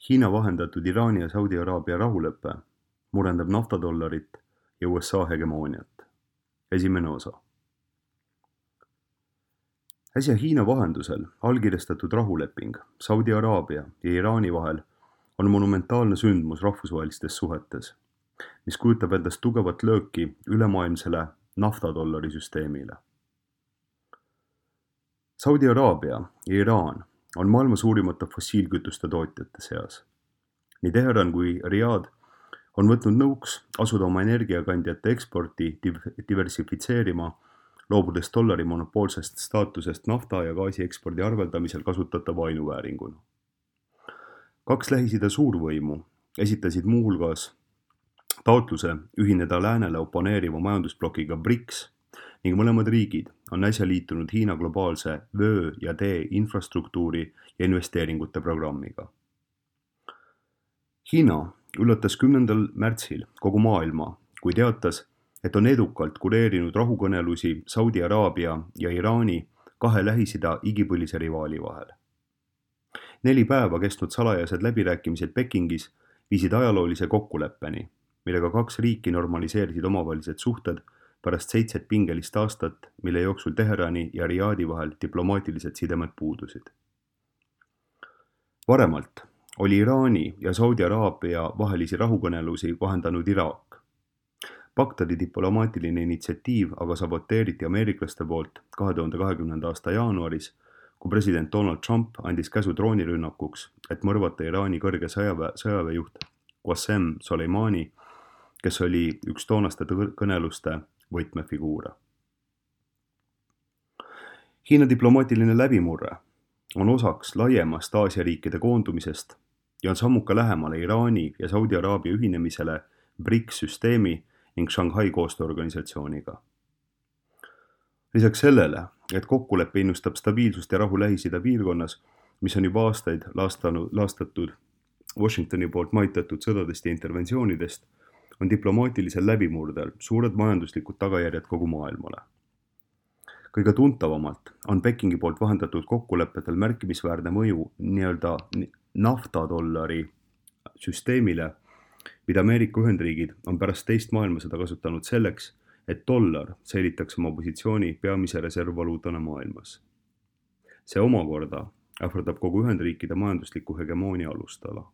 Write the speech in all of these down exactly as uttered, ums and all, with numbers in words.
Hiina vahendatud Iraani ja Saudi Araabia rahulepe murendab naftadollarit ja U S A hegemooniat. Esimene osa. Äsja Hiina vahendusel allkirjastatud rahuleping Saudi Araabia ja Iraani vahel on monumentaalne sündmus rahvusvahelistes suhetes, mis kujutab endast tugevat lööki ülemaailmsele naftadollari süsteemile. Saudi Araabia ja Iraan on maailma suurimate fossiilkütuste tootjate seas. Nii Teheran kui Riyadh on võtnud nõuks asuda oma energiakandjate eksporti diversifitseerima, loobudes dollari monopoolsest staatusest nafta ja gaasi ekspordi arveldamisel kasutatava ainuvääringuna. Kaks Lähis-Ida suurvõimu esitasid muuhulgas taotluse ühineda läänele oponeeriva majandusblokiga BRICS ning mõlemad riigid on äsja liitunud Hiina globaalse vöö ja tee infrastruktuuri ja investeeringute programmiga. Hiina üllatas kümnendal märtsil kogu maailma, kui teatas, et on edukalt kureerinud rahukõnelusi Saudi Araabia ja Iraani kahe Lähis-Ida igipõlise rivaali vahel. Neli päeva kestnud salajased läbirääkimised Pekingis viisid ajaloolise kokkuleppeni, millega kaks riiki normaliseerisid omavahelised suhted pärast seitset pingelist aastat, mille jooksul Teherani ja Riyadi vahel diplomaatilised sidemed puudusid. Varemalt oli Iraani ja Saudi Araabia vahelisi rahukõnelusi vahendanud Iraak. Bagdadi diplomaatiline initsiatiiv aga saboteeriti ameeriklaste poolt kahe tuhande kahekümnenda aasta jaanuaris, kui president Donald Trump andis käsu droonirünnakuks, et mõrvata Iraani kõrge sõjaväe, sõjaväejuht Qasem Soleimani, kes oli üks toonaste kõneluste võtmefiguure. Hiina diplomaatiline läbimurre on osaks laiemast Aasia riikide koondumisest ja on sammuka lähemale Iraani ja Saudi Araabia ühinemisele BRICS süsteemi ning Shanghai koostööorganisatsiooniga. Lisaks sellele, et kokkulepe innustab stabiilsust ja rahu Lähis-Ida piirkonnas, mis on juba aastaid laastanud, laastatud Washingtoni poolt maitatud sõdadest ja interventsioonidest, on diplomaatilisel läbimurdel suured majanduslikud tagajärjed kogu maailmale. Kõige tuntavamalt on Pekingi poolt vahendatud kokkulepetel märkimisväärne mõju nii-öelda naftadollari süsteemile, mida Ameerika Ühendriigid on pärast teist maailmasõda kasutanud selleks, et dollar säilitaks oma positsiooni peamise reservvaluutana maailmas. See omakorda ähvardab kogu Ühendriikide majandusliku hegemoonia alustala.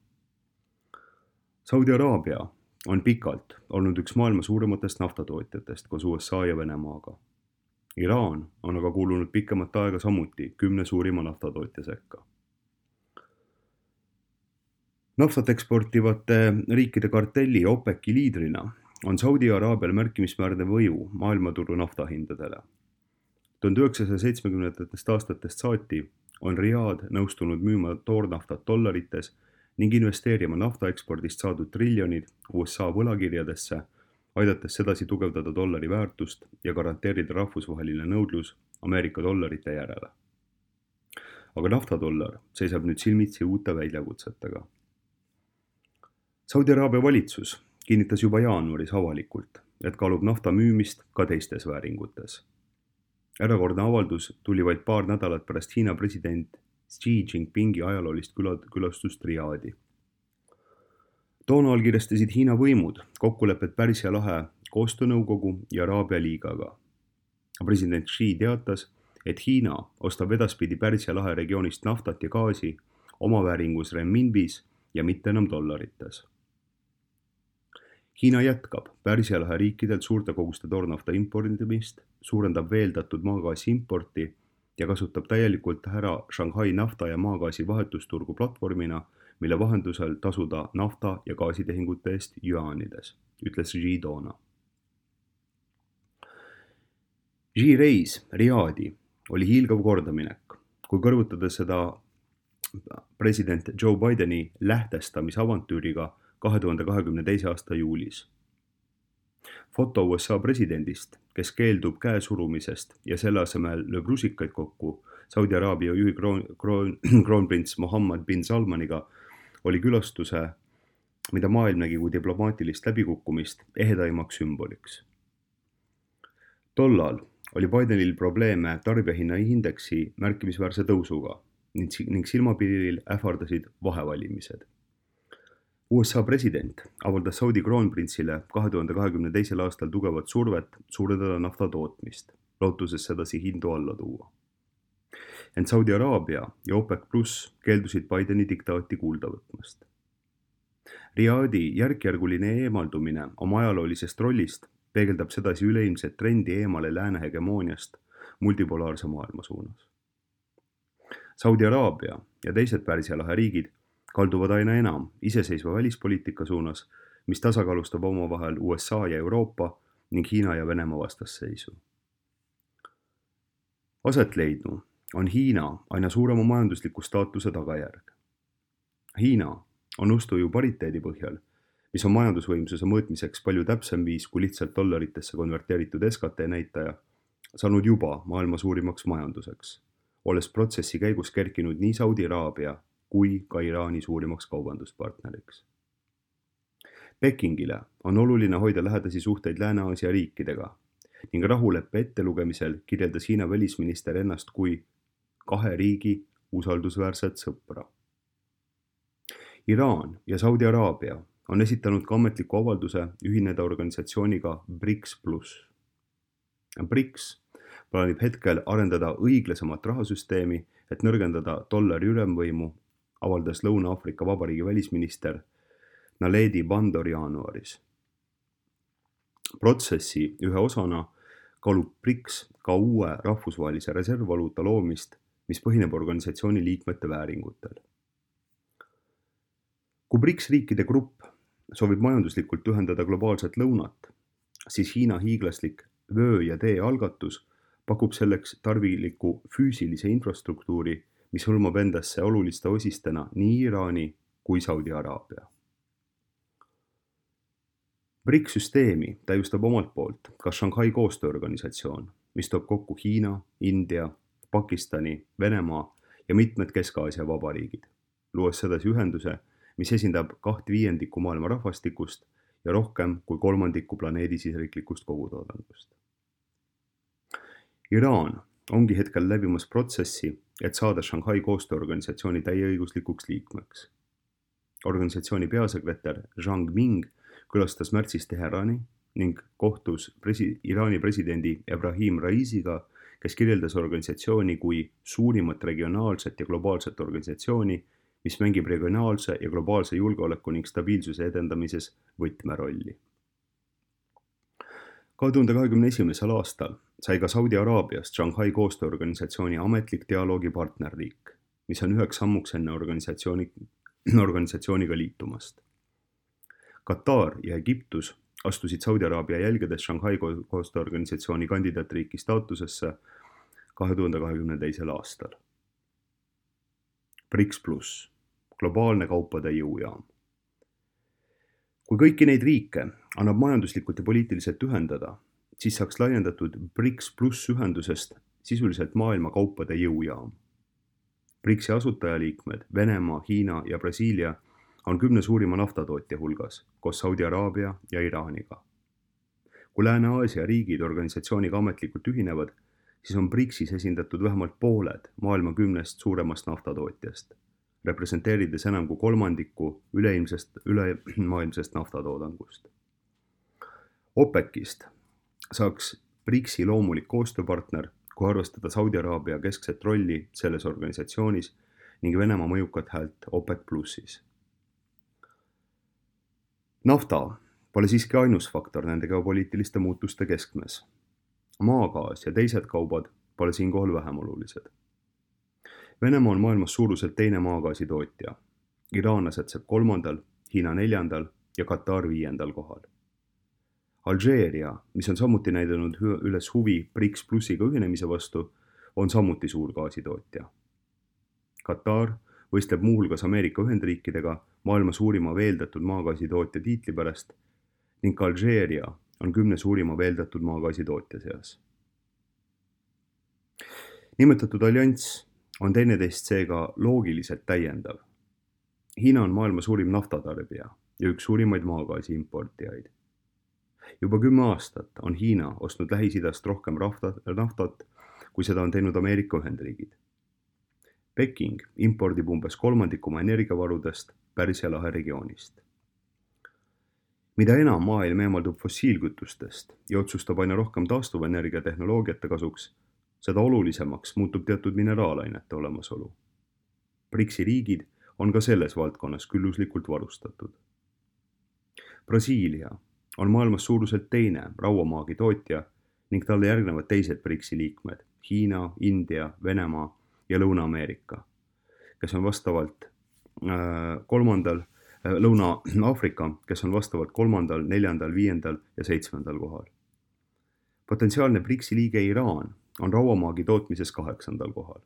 Saudi Araabia on pikalt olnud üks maailma suurimatest naftatootjatest koos U S A ja Venemaaga. Iraan on aga kuulunud pikemat aega samuti kümne suurima naftatootja sekka. Naftat eksportivate riikide kartelli OPEC-i liidrina on Saudi Araabial märkimisväärne mõju maailmaturu naftahindadele. tuhande üheksasaja seitsmekümnendatest aastatest saati on Riyadh nõustunud müüma toornaftat dollarites ning investeerima naftaekspordist saadud triljonid U S A võlakirjadesse, aidates sedasi tugevdada dollari väärtust ja garanteerida rahvusvaheline nõudlus Ameerika dollarite järele. Aga naftadollar seisab nüüd silmitsi uute väljakutsetega. Saudi Araabia valitsus kinnitas juba jaanuaris avalikult, et kaalub nafta müümist ka teistes vääringutes. Erakordne avaldus tuli vaid paar nädalat pärast Hiina president Xi Jinpingi ajaloolist külastust Riyadi. Toona allkirjastasid Hiina võimud kokkulepet Pärsia lahe koostöönõukogu ja Araabia liigaga. President Xi teatas, et Hiina ostab edaspidi Pärsia lahe regioonist naftat ja gaasi omavääringus renminbis ja mitte enam dollarites. Hiina jätkab Pärsia lahe riikidelt suurte koguste toornafta impordimist, suurendab veeldatud maagaasi importi ja kasutab täielikult ära Shanghai nafta ja maagaasi vahetusturgu platvormina, mille vahendusel tasuda nafta- ja gaasitehingute eest juaanides, ütles Xi toona. Xi reis Riyadi oli hiilgav kordaminek, kui kõrvutada seda president Joe Bideni lähtestamisavantüüriga kahe tuhande kahekümne teise aasta juulis. Foto U S A presidendist, kes keeldub käe surumisest ja selle asemel lööb rusikaid kokku Saudi Araabia juhi kroon, kroon, kroonprints Mohammed bin Salmaniga, oli külastuse, mida maailm nägi kui diplomaatilist läbikukkumist, ehedaimaks sümboliks. Tollal oli Bidenil probleeme tarbijahinnaindeksi märkimisväärse tõusuga ning silmapiiril ähvardasid vahevalimised. U S A president avaldas Saudi kroonprintsile kahe tuhande kahekümne teisel aastal tugevat survet suurendada nafta tootmist, lootuses sedasi hindu alla tuua. Ent Saudi Araabia ja OPEC pluss keeldusid Bideni diktaati kuulda võtmast. Riadi järkjärguline eemaldumine oma ajaloolisest rollist peegeldab sedasi üleilmset trendi eemale lääne hegemooniast multipolaarse maailma suunas. Saudi Araabia ja teised Pärsia lahe riigid kalduvad aina enam iseseisva välispoliitika suunas, mis tasakaalustab omavahel U S A ja Euroopa ning Hiina ja Venemaa vastasseisu. Aset leidnu on Hiina aina suurema majandusliku staatuse tagajärg. Hiina on ostuju pariteedi põhjal, mis on majandusvõimsuse mõõtmiseks palju täpsem viis kui lihtsalt dollaritesse konverteeritud S K T näitaja, saanud juba maailma suurimaks majanduseks, olles protsessi käigus kerkinud nii Saudi Araabia kui ka Iraani suurimaks kaubanduspartneriks. Pekingile on oluline hoida lähedasi suhteid Lääne-Aasia riikidega ning rahuleppe ettelugemisel kirjeldas Hiina välisminister ennast kui kahe riigi usaldusväärset sõpra. Iraan ja Saudi Araabia on esitanud ka ametliku avalduse ühineda organisatsiooniga BRICS pluss. BRICS plaanib hetkel arendada õiglasemat rahasüsteemi, et nõrgendada dollari ülemvõimu, avaldas Lõuna-Aafrika Vabariigi välisminister Naledi Pandor jaanuaris. Protsessi ühe osana kaalub BRICS ka uue rahvusvahelise reservvaluuta loomist, mis põhineb organisatsiooni liikmete vääringutel. Kui BRICS riikide grupp soovib majanduslikult ühendada globaalset lõunat, siis Hiina hiiglaslik vöö ja tee algatus pakub selleks tarviliku füüsilise infrastruktuuri, mis hõlmab endasse oluliste osistena nii Iraani kui Saudi Araabia. BRICS süsteemi täiustab omalt poolt ka Shanghai koostööorganisatsioon, mis toob kokku Hiina, India, Pakistani, Venemaa ja mitmed Kesk-Aasia vabariigid, luues sedasi ühenduse, mis esindab kaht viiendikku maailma rahvastikust ja rohkem kui kolmandikku planeedi siseriiklikust kogutoodangust. Iraan ongi hetkel läbimas protsessi, et saada Shanghai koostööorganisatsiooni täieõiguslikuks liikmeks. Organisatsiooni peasekretär Zhang Ming külastas märtsis Teherani ning kohtus presi- Iraani presidendi Ebrahim Raisiga, kes kirjeldas organisatsiooni kui suurimat regionaalset ja globaalset organisatsiooni, mis mängib regionaalse ja globaalse julgeoleku ning stabiilsuse edendamises võtmerolli. kahe tuhande kahekümne esimesel aastal sai ka Saudi Araabiast Shanghai koostööorganisatsiooni ametlik dialoogi partnerriik, mis on üheks sammuks enne organisatsiooni, organisatsiooniga liitumast. Katar ja Egiptus astusid Saudi Araabia jälgedes Shanghai koostööorganisatsiooni kandidaatriiki staatusesse kahe tuhande kahekümne teisel aastal. BRICS pluss, globaalne kaupade jõujaam. Kui kõiki neid riike annab majanduslikult ja poliitiliselt ühendada, siis saaks laiendatud BRICS pluss ühendusest sisuliselt maailma kaupade jõujaam. BRICS-i asutajaliikmed Venemaa, Hiina ja Brasiilia on kümne suurima naftatootja hulgas, koos Saudi Araabia ja Iraaniga. Kui Lääne-Aasia riigid organisatsiooniga ametlikult ühinevad, siis on BRICS-is esindatud vähemalt pooled maailma kümnest suuremast naftatootjast, representeerides enam kui kolmandikku üleilmsest, ülemaailmsest naftatoodangust. OPEC-ist saaks BRICS-i loomulik koostööpartner, kui arvestada Saudi Araabia keskset rolli selles organisatsioonis ning Venemaa mõjukat häält OPEC plussis. Nafta pole siiski ainus faktor nende geopoliitiliste muutuste keskmes. Maagaas ja teised kaubad pole siinkohal vähem olulised. Venemaa on maailmas suuruselt teine maagaasi tootja. Iraan asetseb kolmandal, Hiina neljandal ja Katar viiendal kohal. Alžeeria, mis on samuti näidanud üles huvi BRICS plussiga ühinemise vastu, on samuti suur gaasitootja. Katar võistleb muuhulgas Ameerika Ühendriikidega maailma suurima veeldatud maagaasitootja tiitli pärast ning Alžeeria on kümne suurima veeldatud maagaasitootja seas. Nimetatud allianss on teineteist seega loogiliselt täiendav. Hiina on maailma suurim naftatarbija ja üks suurimaid maagaasi importijaid. Juba kümme aastat on Hiina ostnud Lähis-Idast rohkem naftat, kui seda on teinud Ameerika Ühendriigid. Peking impordib umbes kolmandiku oma energiavarudest Pärsia lahe regioonist. mida enam maailm eemaldub fossiilkütustest ja otsustab aina rohkem taastuvenergia tehnoloogiate kasuks, seda olulisemaks muutub teatud mineraalainete olemasolu. BRICS-i riigid on ka selles valdkonnas külluslikult varustatud. Brasiilia on maailmas suuruselt teine rauamaagi tootja ning talle järgnevad teised BRICS-i liikmed Hiina, India, Venemaa ja Lõuna-Ameerika, kes on vastavalt äh, kolmandal, äh, Lõuna-Aafrika, kes on vastavalt kolmandal, neljandal, viiendal ja seitsmendal kohal. Potentsiaalne BRICS-i liige Iraan on rauamaagi tootmises kaheksandal kohal.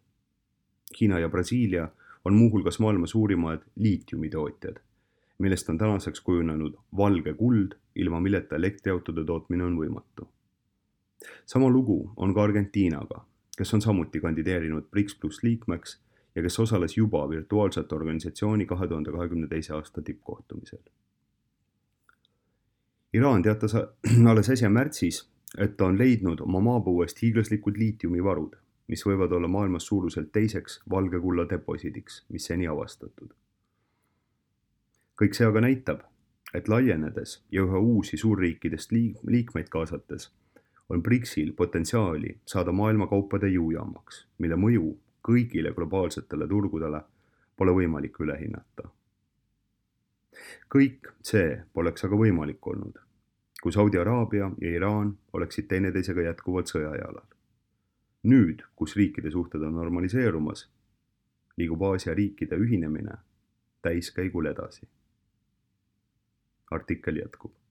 Hiina ja Brasiilia on muuhulgas maailma suurimad liitiumitootjad, millest on tänaseks kujunenud valge kuld, ilma milleta elektriautode tootmine on võimatu. Sama lugu on ka Argentiinaga, kes on samuti kandideerinud BRICS pluss liikmeks ja kes osales juba virtuaalsete organisatsiooni kahe tuhande kahekümne teise aasta tippkohtumisel. Iraan teatas alles äsja märtsis, et ta on leidnud oma maapõuest hiiglaslikud liitiumivarud, mis võivad olla maailmas suuruselt teiseks valge kulla deposiidiks, mis seni avastatud. Kõik see aga näitab, et laienedes ja üha uusi suurriikidest liikmeid kaasates on BRICS-il potentsiaali saada maailma kaupade jõujaamaks, mille mõju kõigile globaalsetele turgudele pole võimalik üle hinnata. Kõik see poleks aga võimalik olnud, kui Saudi Araabia ja Iraan oleksid teineteisega jätkuvalt sõjajalal. Nüüd, kus riikide suhted on normaliseerumas, liigub Aasia riikide ühinemine täiskäigul edasi. Artikkel jätkub.